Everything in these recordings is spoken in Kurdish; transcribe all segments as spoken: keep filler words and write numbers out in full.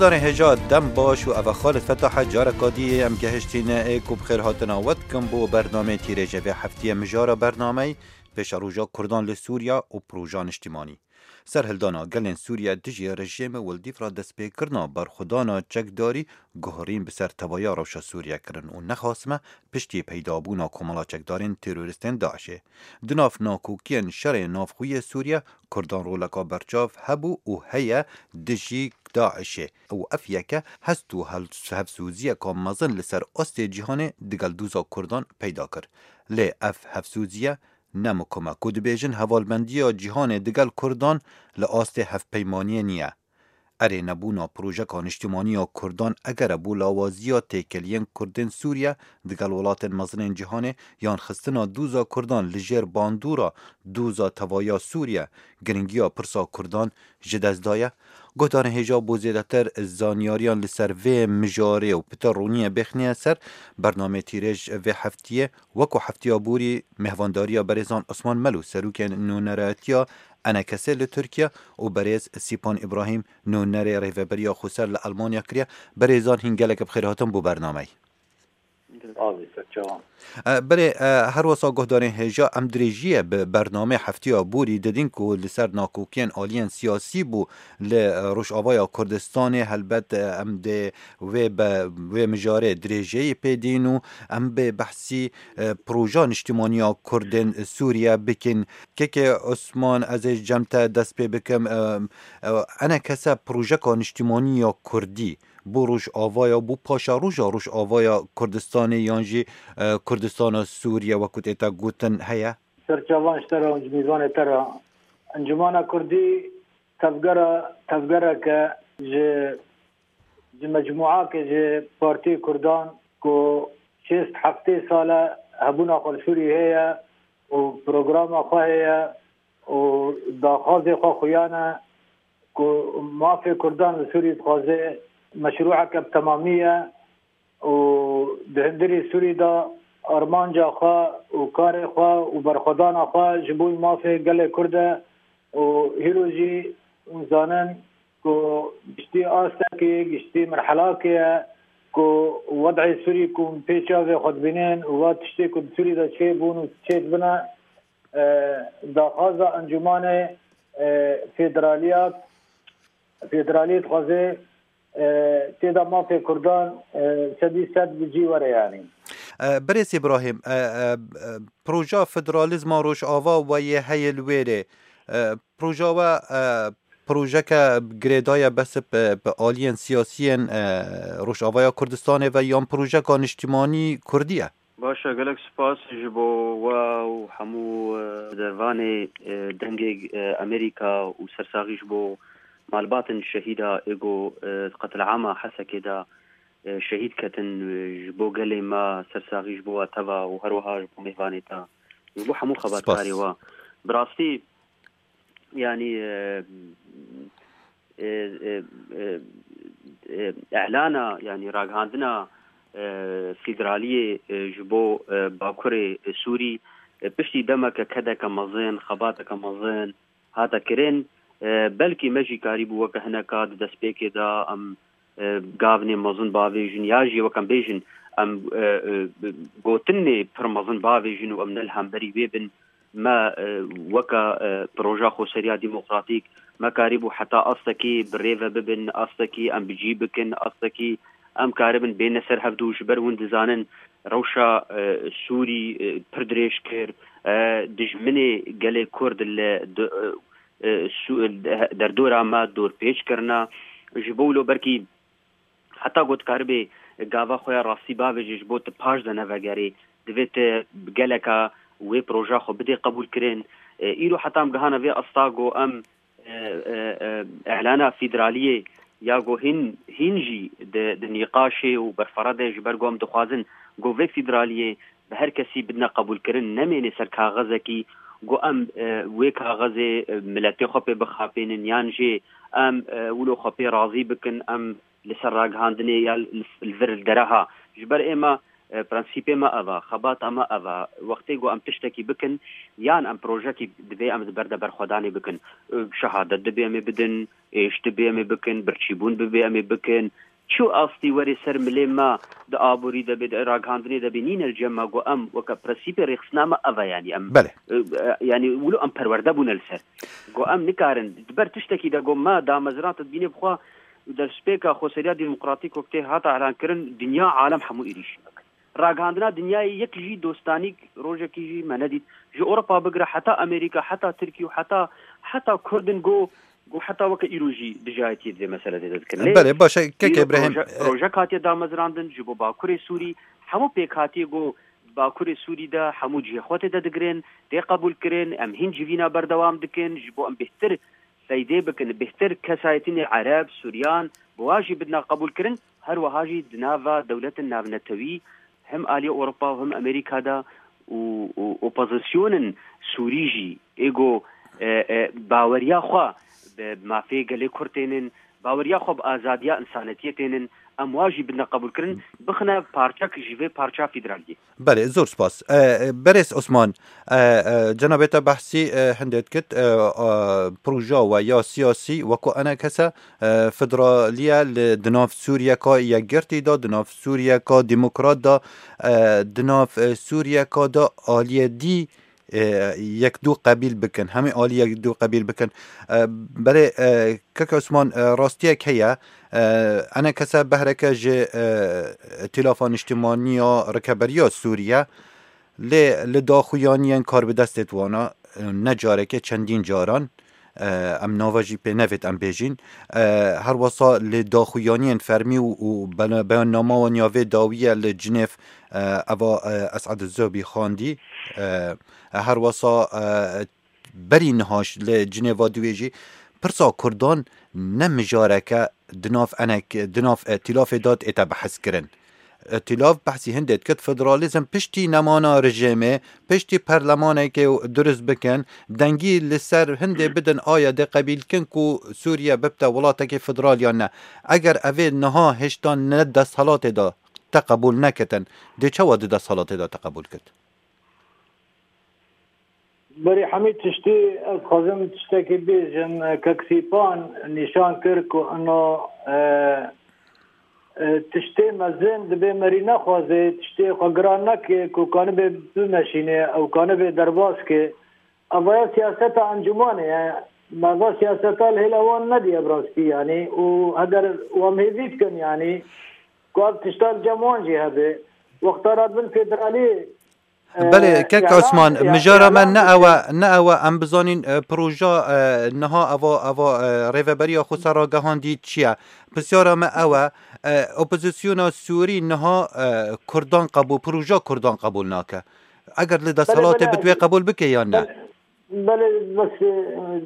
Darên hêja dem baş û eve Xalid Fetah e, careka dî em gehiştîne ê ku bi xêr hatina we dikim bo bernameyê tîrêjê vê heftiyê. Mijara bernameyê pêşeroja Kurdan li Sûriya û proja niştimanî. Serhildana gelên Sûriye dijî rejîmê û li dîv re destpêkirina berxwedana çekdarî guherîn bi ser tevaya rewşa Sûriye kirin û nexasime piştî peydabûna komela çekdarên terorîstên DAIŞê. Di nav nakokiyên şerê navxwe yê Sûriye, Kurdan roleka berçav hebû û heye dijî DAIŞê û ev yeke hest û hel-, hevsoziyeka mezin li ser astê cîhanê digel doza Kurdan peyda kir. Lê ev hevsoziye ne mikum e ku dibêjin hevalbendiya cîhanê digel Kurdan li astê hevpeymaniyê niye. Erê, nebûna projeka niştimanî ya Kurdan eger e bo lawaziya têkeliyên Kurdên Sûriye digel welatên mezinên cîhanê yan xistina doza Kurdan li jêr bandora doza tevaya Sûriye, giringiya pirsa Kurdan ji dest daye? Guhdarên hêja bo zêdetir zanyariyan li ser vê mijarê û pita roniyê bêxniye ser bernameyê tîrêj vê heftiyê, wek ku heftiya borî mêhvandariya berêzan Osman Melo, serokê nûneratiya ENKSê li Tirkiye û berêz Sîpan Îbrahîm, nûnerê Rêveberiya Xweser li Elmanya kiriye. Berêzan, hîn gelek bi xêr hatin bo bernameyê. Azî serçawan. E, belê, e, her wesa guhdarên hêja, em dirêjiyê bi bernameyê heftiya borî didin ku li ser nakokiyên aliyên siyasî bû li, e, Rojavaya Kurdistanê. Helbet, e, em dê wê be-, wê mijarê dirêjeyî pê dîn û em bê behsî, e, proja niştimanî ya Kurdên Sûriye bikin. Kekê Osman, ez ê cem te dest pê bikim. E, e, ENKS projeka niştimanî ya Kurdî bo Rojavaya, bo paşeroja Rojavaya Kurdistanê yan jî, e, Kurdistana Sûriye, wekû tê te gotin, heye? Serçavan ji te re û ji mîzvanê te re. Encûmana Kurdî tevgera, tevgereke ji, ji mecmûake ji Partiyê Kurdan ku şêst heftê sal e hebûna xwe li Sûriyê heye û programa xwe heye û daxwazê xwe xuyan e ku mafê Kurdan li Sûriyê dixwaze meşrûeke bi temamî ye û di hundirê Sûrî de armanca xwe û karê xwe û berxwedana xwe ji bo mafê gelê Kurd e û hîro jî hûn zanin ku giştî astekê, giştî merhelakê ye ku wed'ê Sûrî ku pê çavê xwe dibînin û va tiştê ku di Sûrî de çêbûn û çêdibine, e, daxwaza encûmanê, e, federaliya, federaliyê dixwaze, e, tê de mafê Kurdan, e, sedî sed bi cî were, yanî. E, Birêz Îbrahîm, e, e, e, proja federalîzma Rojava weyê heye li wêrê. E, proja we, e, projeke girêdaye bes bi, bi aliyên siyasiyên, e, Rojavaya Kurdistanê ve yan projeka niştimanî Kurdî ye? Baş e, gelek spas ji bo we û hemû, e, dervanê, e, dengê, e, Amerîka û sersaxî ji bo malbatên şehîda ê ku, e, di qetilama Hesekê de, e, şehîd ketin, e, ji bo gelê me sersaxî ji bo we teva û her wiha ji bo mêvanê te, ji bo hemû xebatkarê we. Bi rastî, yanî, e, e, e, e, e, îlana, yanî ragihandina, e, federaliyê, e, ji bo, e, Bakurê, e, Sûrî, e, piştî demeke kedeke mezin, xebateke mezin hate kirin. E, belkî me jî karîbû weke hineka di destpêkê de em, e, gavnê mezin bavêjin, ya jî weke em bêjin, em, e, e, gotinê pir mezin bavêjin û em ne li hemberî wê bin. Me, e, weke, e, proja xweseriya demokratîk, me karîbû heta astekî bi rê ve bibin, astekî em bi cî bikin, astekî em karibin bêne ser hevdû. Ji ber hûn dizanin rewşa, e, Sûrî, e, pir dirêj kir, e, dijminê gelê Kurd li di-, e, e, Sû-, derdora me dorpêç kirine. Ji bo wilo belkî heta ku dikaribê gava xwe ya rastî bavêje ji bo tu paş de nevegerê, divê tu bi geleka wê proja xwe bidê qebûlkirin. E, îro heta em gihana vê asta ku em, e, e, e, îlana federaliyê ya ku hîn, hîn jî di, di nîqaşê û berfere de, ji ber ku em dixwazin ku vê federaliyê bi her kesî bidine qebûlkirin, nemêne ser kaxezekî, ku em, e, wê kaxezê, e, miletê xwe pê bixapênin, yan jî em, e, wilo xwe pê razî bikin, em li ser ragihandinê ya li, li vir li dereha. Ji ber ême, E, prensîpê me ev e, xebata me ev e. Wextê ku em tiştekî bikin, yan em projekî divê em di ber de berxwedanê bikin. E, şehadet divê em ê bidin, êş divê em ê bikin, birçîbûn bivê em ê bikin. Çi astî werê ser milê me di aborî de bê, di ragihandinê de bê, nîne li cem me ku em weke prensîpê rêxistina me ev e, yanî em, Belê. e, e, yanî wilo em perwerde bûne li ser. Ku em nikarin, di ber tiştekî de ku me damezrand dibînê bixwe destpêka xweseriya demokratîk wek tê hata elankirin, dinya alem hemû êrîşî me kir. Ragihandina dinyayê yek jî dostanîk rojekî jî me nedît. Ji Ewropa bigire heta Amerîka, heta Tirkî û heta, heta Kurdin go, go heta weke îro jî dijayetiyê di vê meselê de dikin. Lê Belê, baş e, kek îro Îbrahîm, proje, e, projek hatiye damezrandin ji bo Bakurê Sûrî. Hemû pêkhatiyê go Bakurê Sûrî de hemû cihê xwe tê de digirin, tê qebûlkirin, em hîn civîna berdewam dikin, ji bo em bêhtir seydê bikin, bêhtir kesayetînê Ereb, Suryan, bi wa jî bidina qebûlkirin, her wiha jî di nava dewletin navnetewî hem aliyê Ewropa û hem Amerîka de û, û opozîsyonên Sûrî jî êgo, e, e, baweriya xwe bi mafê gelê Kurd tênin, baweriya xwe bi azadiya însanetiyê tênin, em wa jî bidine qebûlkirin, bixine parçek ji vê parça federaliyê. Belê, zor spas. E, e, Berêz Osman, e, e, cenabê te behsî, e, hindê dikit, e, e, proja we ya siyasî weko enekese, e, federaliye li di nav Sûriyeka yekgirtî de, di nav Sûriyeka demokrat de, e, di nav, e, Sûriyeka de aliyê dî, e, yekdû qebîl bikin, hemî alî yekdû qebîl bikin. E, belê, e, kek Osman, e, rastiyek heye, e, enekese behreke ji, e, Îtîlafa Niştimanî ya Rikeberiya Sûriye, lê li daxuyaniyên karbidestê di wana, e, ne carekê çendîn caran, e, em nava jî pê nevêt em bêjîn. E, her wesa li daxuyaniyên fermî û, û bena-, beyannama wan ya vê dawiye li Cinêv, e, eva, e, Esad Zobî xwendî. E, her wesa, e, berî niha ji, li Cinêva duwê jî pirsa Kurdan ne mijareke di nav enek, di nav, e, îtîlafê de ête behs kirin. Îtîlaf behsî hindê dikit, federalîzm piştî nemana rejîmê, piştî perlemanekê durust bikin, dengî li ser hindê bidin, aya dê qebîl kin ku Sûriye bibte welatekê federal yan ne. Eger evê niha hêşta ne desthilatê de te qebûl nekitin, dê çawa di desthilatê de te qebûl kit? Berî hemî tiştî ez dixwazim tiştekî bêjim. Kek Sîpan nîşan kir ku ino, e, e, tiştê mezin dibê merî nexwaze, tiştê xwe giran neke ku kanibê bimeşîne, ew kanibê derbas ke. Evaya siyaseta encûmanê ye. Meva siyaseta li hêla wan nediye bi rastî, yanî, û heger wan hêvî dikin, yanî, ku ev tişta li cem wan jî hebe. Wexta re bin federalî, Belê, e, kek îlan, Osman, îlan, mijara me îlan ne dike. Ew e, ne ew e, em bizanîn, e, proja, e, niha eva, eva, e, rêveberiya xwe ser ragihandî çi ye? Pisyara me ew e, e, opozisyona Sûrî niha, e, Kurdan qebûl, proja Kurdan qebûl nake. Eger li Belê, desthilatê belê. Bi wê qebûl bike yan ne? Belê, belê, bes, e,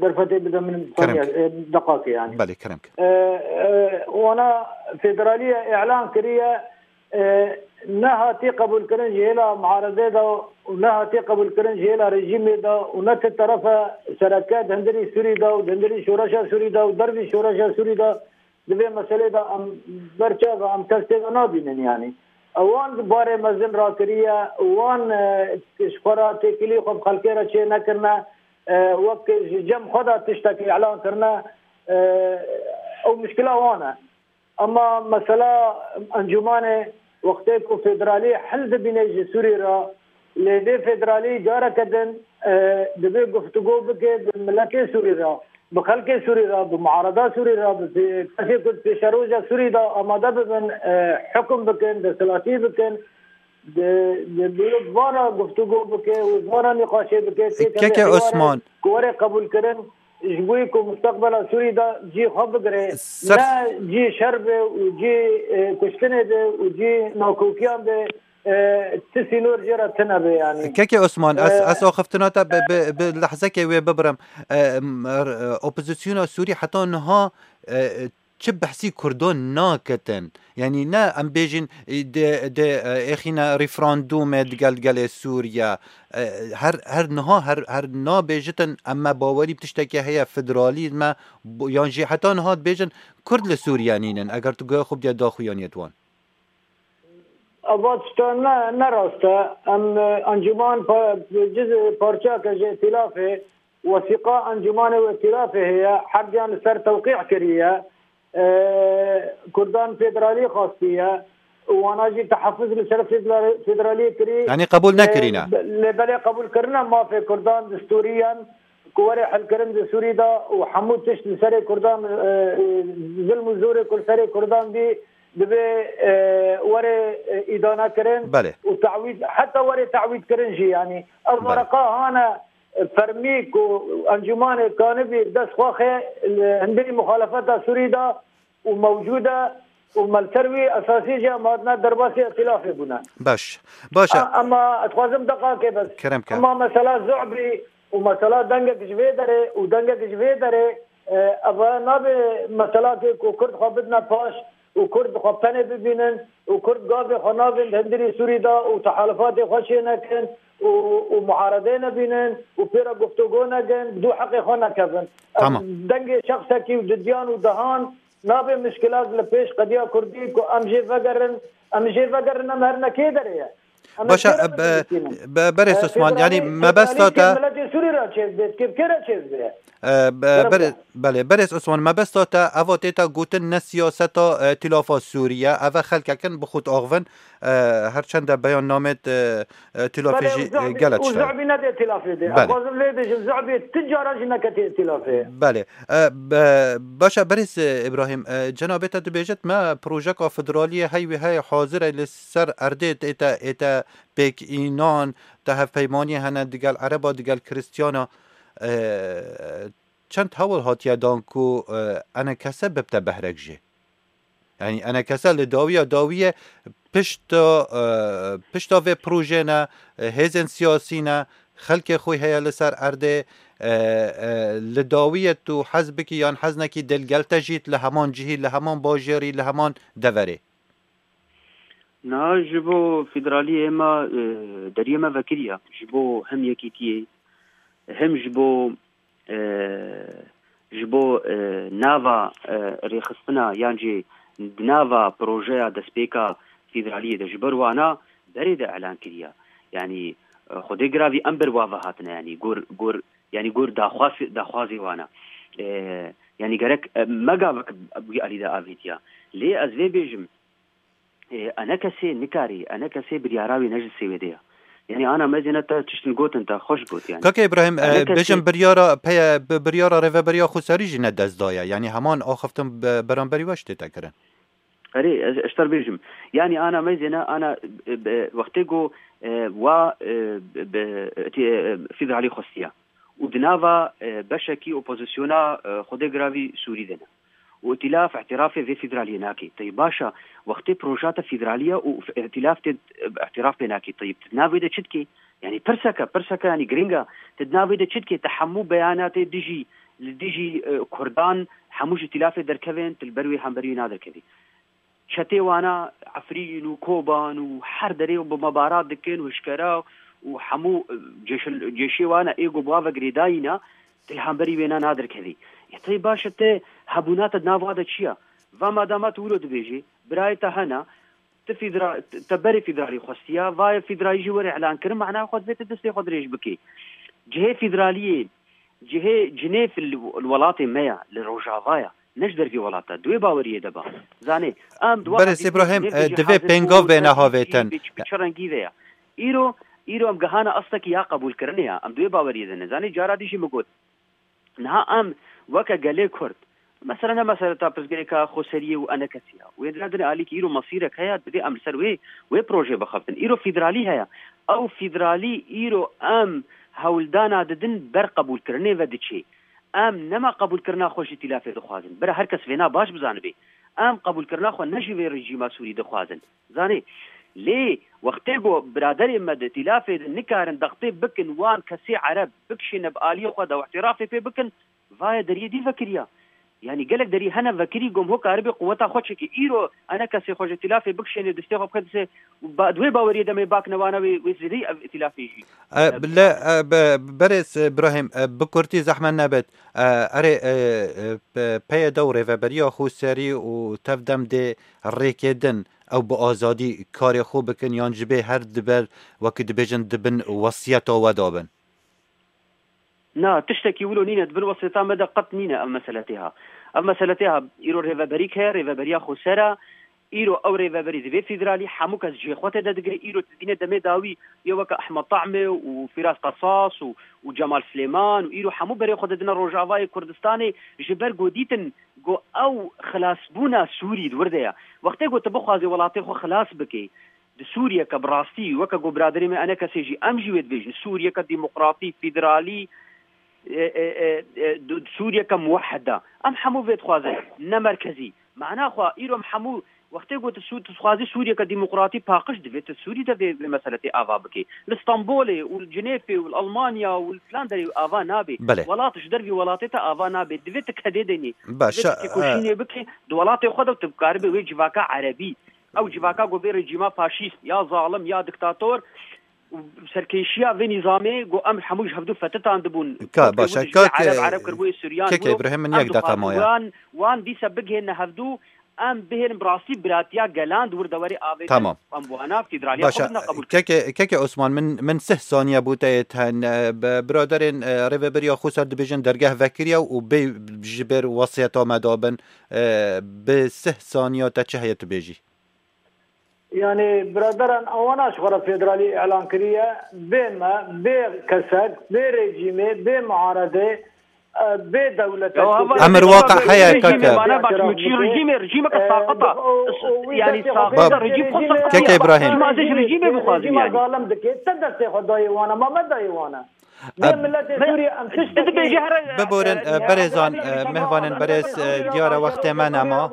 derfetê bide min, Kerem saniye, ke. E, deqakê yani. Belê, kerem ke. E, e, wana federaliye îlan kiriye, e, ne hatî qebûlkirin ji hêla muaredê de û ne hatî qebûlkirin ji hêla rejîmê de û ne ti terefe sereke di hundirî Sûrî de û di hundirî şoreşa Sûrî de û dervî şoreşa Sûrî de di vê meselê de em ber çav e, em kes tê de nabînin yani. Ewan di barê mezin rakiriye, wan, e, ji xwe re têkilî xwe bi xelkê re çê nekirine, e, wek ji cem xwe de tiştekî îlan kirine, e, ew muşkila wan e. Ema mesela encûmanê wextê ku federalî hil dibîne ji Sûrî re, lê vê federalî careke din, e, divê guftûgo bike bi miletê Sûrî re, bi xelkê Sûrî re, bi muarada Sûrî re, bi pê-, kesê ku di pêşeroja Sûrî de amade bibin, e, hukm bikin, desthilatî bikin, di, di, di vana guftûgo bike û vana nîqaşê bike, têkeve Keke hêwarê Osman. Ku were qebûlkirin, ji bo ku mustaqbela Sûrî de cî xwe bigire, Ser- ne cî şer be û cî, e, kuştinê be û cî nakokiyan be, e, ti sînor jê re tune be yani. Keke Osman, ez, E, ez axiftina te bi, bi, bi lehzekê wê bibirim. E, m-, r-, e, opozisyona Sûrî heta niha, e, çi behsî Kurdan naketin. Yanî ne em bêjin, e, de, de, e, êxîne referandûmê digel gelê Sûriye. E, her, her niha, her, her nabêjitin em me bawerî bi tiştekê heye federalî me, bo-, yan jî heta niha dibêjin Kurd li Sûriye nînin, eger tu guhê xwe bidî daxuyaniyê wan. Eva tişta ne, ne rast e. Em, e, encûman pa-, cizê parçeyeke ji îtîlafê, wesîqa encûmanê û îtîlafê heye, herdiyan li ser tewqî kiriye. E, Kurdan federalî xastiye û wana jî tehefuz li ser federa-, federalî kirî. Yanî qebûl Lê, nekirîne. Lê belê qebûlkirina mafê Kurdan distûriyan ku were hilkirin di Sûrî de û hemû tişt li serê Kurdan, e, e, zilm û zorê ku li serê Kurdan bî, divê, e, were, e, îdane kirin Belê. û tawîd, heta were tawîd kirin jî, yanî ev Belê. wereqa hane, e, fermî ku encûmanê kanibî dest xwe xe li hindê muxalefeta Sûrî de û mewcûd e û me li ser wî esasî jî em hatine derbasî îtîlafê bûne. Baş. Baş e. A-, ema ez dixwazim deqakê bes. Kerem ke. Ema mesela Zu'bî û mesela dengek ji vê derê û dengek ji vê derê, e, ev nabe meselakê ku Kurd xwe bidine paş û Kurd xwe penê bibînin û Kurd gavê xwe navên di hundirî Sûrî de û tehalûfatê xwe çê nekin û, û muharedê nebînin û pê re guftûgo nekin, bi dû heqê xwe nekevin. Ev Tamam. dengê şexsekî û didiyan û dehan nabe mişkilat li pêş qediya Kurdî ku em jê vegerin, em jê vegerin, em herine kê derê ye? Em Başa, ê e, be-, be-, berêz E, Osman, yanî federalî, mebesta federalî te kê miletê Sûrî re çêz bê, kê, kê re çêz bê? E, be-, Gerek bere-, e. belê, berêz Osman, mebesta te eva tê te gotin ne siyaseta, e, îtîlafa Sûrî ye, eve xelkekin bi xwe diaxivin, e, her çende beyan namêt, e, e, îtîlafê Belê, jî, û e, Zu'bî, gele û tişt e. Zu'bî nede îtîlafê de. Belê. Ez dixwazim vê bêjim, Zu'bî tu cara jî neketiye îtîlafê. Belê. E, be-, baş e, berêz, e, Îbrahîm, e, cenabê te dibêjit me projeka federaliyê hey wê hey hazir e li ser erdê ête, ête pêk înan, te hevpeymaniyê hene digel Ereba, digel Kristiyana. E, çend hewl hatiye dan ku, e, enekese bibte behrek jê? Yanî enekese li dawiya dawiyê pişta, e, pişta vê projê ne, e, hêzên siyasî ne, xelkê xwe heye li ser erdê, e, e, li dawiyê tu hez bikî yan hez nekî, dê li gel te jît li heman cihî, li heman bajêrî, li heman deverê. Niha ji bo federaliyê me, e, deriyê me vekiriye. Ji bo hem yekîtiyê, hem ji bo, e, ji bo, e, nava, e, rêxistina yan jî di nava projeya destpêka federaliyê de ji ber wana berê de elan kiriye. Yanî, e, Xwedê giravî em ber wa ve hatine, yanî gor, gor, yanî gor daxwaz, daxwazê wana. E, yanî gerek, e, me gavek wî alî de avêtiya. Lê ez vê bêjim, e, enekesê nikarî, enekesê biryara wî ne ji sêwê de ye. Yanî ana mezêne te tiştin gotin te xweş got yanî. Kaka Îbrahîm, e, Enekesê bêjim biryara peye, bi-, biryara rêveberiya xweserî jî ne dest daye. Yanî heman axiftin be-, beramberî we ji tê te kirin. Erê, ez, ez ji te re bêjim. Yanî ana mezêne, ana, e, be-, wextê ku, e, wa, e, be-, be-, e, federalî xwestiya. Û di nava, e, beşekî opozisyona, e, Xwedê giravî Sûrî de ne. Û îtîlaf îtirafê vê federaliyê nake. Teyî baş e, wextê proja te federalî ye û îtîlaf tê, e, îtiraf pê nake. Teyî tu di nav wê de çi dikê? Yanî pirseke, pirseke yanî giring e. Tu di nav wê de çi dikê? Te hemû beyanatê dijî, li dijî, e, Kurdan, hemû ji îtîlafê derkevên, tu li ber wê hemberî wê naderkevî. Çetê wana Efrîn û Koban û her derê û bi mebarat dikin û hişkera û hemû, e, cêşil-, cêşê wana ê ku bi wa ve girêdayî ne, tu li hemberî wê ne nadirkevî. Ya tey baş e, te hebûna te di nav wa de çi ye? Va madama tu wilo dibêjî, birayê te hene, tu fîdra-, te berê fîdralî xwestiya, va ye fîdralî jî were îlan kirin, mana xwe divê tu destê xwe dirêj bikî. Cihê fîdraliyê, cihê Cinêv li, li welatê me ye, li Rojava ye. Ne ji dervî welata, di wê baweriyê de ba. Zanê, em di wa Berêz hevdîtinê Îbrahîm, Cinêv de e, jî divê hazir pêngav bûn, bêne havêtin. Bi çi, bi çi rengî ve ya? Îro, îro em gihane astekî ya qebûlkirinê ya. Em di wê baweriyê de ne. Zanê, cara dî jî min got. Niha em weke gelê Kurd, mesela ne meseleta pirsgirêka xweseriyê û enekesî ya. Wê dina dinê alîkî îro mesîrek heye, divê em li ser wê, wê projê bixebtin. Îro fîdralî heye. Ew fîdralî îro em hewldana didin ber qebûlkirinê ve diçê. Em nema qebûlkirina xwe ji îtîlafê dixwazin. Bira her kes vêna baş bizanibe. Em qebûlkirina xwe ne ji vê rejîma Sûrî dixwazin. Zanê, lê wextê ku biraderê me di îtîlafê de nikarin dextê bikin wan kesê Ereb bikişîne bi aliyê xwe de û îtîrafê pê bikin, va ye deriyê dî vekiriya. Yanî gelek derî hene vekirî gom ho karibê quweta xwe çekê. Îro ene kesê xwe ji îtîlafê bikişênê distê xwe bixê distê û ba-, di wê baweriyê de me bak newana wê, wê zêdeyî ev îtîlafê jî. E, bi le, e, be-, berêz, e, Birahîm, e, bi kurtî zehmet nebit. E, erê, e, e, pe-, P Y D û Rêveberiya Xweserî û tevdem dê rêkê din ew bi azadî karê xwe bikin yan ji bê her diber wekî dibêjin dibin wesiyeta we dabin? Na, tiştekî wilo nîne, di bin wesiyeta me de qet nîne ev mesele tê ha. Ev mesele tê ha, îro rêveberîk heye, rêveberiya xweser e. Îro ew rêveberî divê federalî, hemû kes cihê xwe tê de digire. Îro dibîne demê dawî yê weke Ehmed Tahmê û Fîraz Qesas û, û Cemal Silêman û îro hemû berê xwe didine Rojavayê Kurdistanê ji ber ku dîtin ku ew xilasbûna Sûrî di wir de ye. Wextê ku tu bixwazî welatê xwe xilas bikî, di Sûriyeke bi rastî, weke ku biraderê me ene kesê jî, em jî wê dibêjin, Sûriyeke demokratî, federalî, e, e, e, e, du-, Sûriyeke muwehheda. Em hemû vê dixwazin, ne merkezî. Mana xwe, îro em hemû, wextê ku tu Sû-, tu dixwazî Sûriyeke demokratî paqij, divê tu Sûrî de vê, vê meseletê ava bikî. Li Stenbolê û li Cinêfê û li Almanya û li filan derê ava nabê. Belê. Welat ji dervî welatê te ava nabê. Divê tu kedê denî. Baş, divê tu e, têkoşînê bikî, di welatê xwe de tu bikaribê wê civaka erebî. Ew civaka ku vê rejîma faşîst, ya zalim, ya diktator, û serkêşiya vê nîzamê ku em hemû ji hevdû fetitandibûn. Ka, Kurdê baş, win ji kak, ereb, ereb kiribûyê Suryan, kek wilo Îbrahîm, min em yek deqa dixwazin maye. Wan, wan dîsa bigihêne hevdû, em bihêlin bi rastî biratiya gelan di wir de werê avêtin. Tamam. Em wana federaliya Baş, xwe bidine qebûl. Keke, keke Osman, min, min sih saniye bû te yê ten, e, bi-, biraderên, e, rêveberiya Xweser dibêjin dergeh vekiriye û bê ji ber wesiyeta me dabin, e, bi sih saniya te çi heye tu bêjî? Yani biraderan, awana ji xwe re federalî îlan kiriye, bê me, bê kesek, bê rejîmê, bê muaredê, e, bê dewlete. Ya, hava Emir rejîmê, waqe heye, rejîmê kaka. Bana bak, çi rejîmê, rejîmê ke E, saqata. O, o, o, Yani wî saqata, destê rejîm xwe rejîmê, saqata. Keke Îbrahîm. Çima ez ji rejîmê bixwazim rejîma yani? Zalim dike. Te destê xwe dayê wana, ma me dayê wana. Bê E, milletê Sûriye em tiştekî Biborin, e, e, berêzan, e, mehvanên berêz, e, diyare wextê me nema.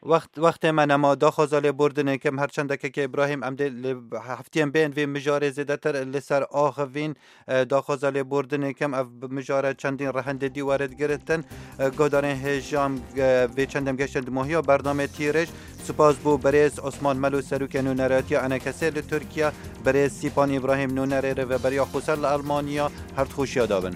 Wext, wextê me nema, daxwaza lêbordinê kim, her çendeke ke Îbrahîm, em dê li heftiyên bên vê mijarê zêdetir li ser axivîn, e, daxwaza lêbordinê kim, ev mijare çendîn rehendê dî were digiritin. E, guhdarên hêja em, e, vê çendem geştin di mohiya bernamê Tîrêj. Spas bo berêz Osman Melo, serokê nûneratiya enekesê li Tirkiye, berêz Sîpan Îbrahîm, nûnerê rêveberiya Xweser li Almanya, her dixweşiya dabin.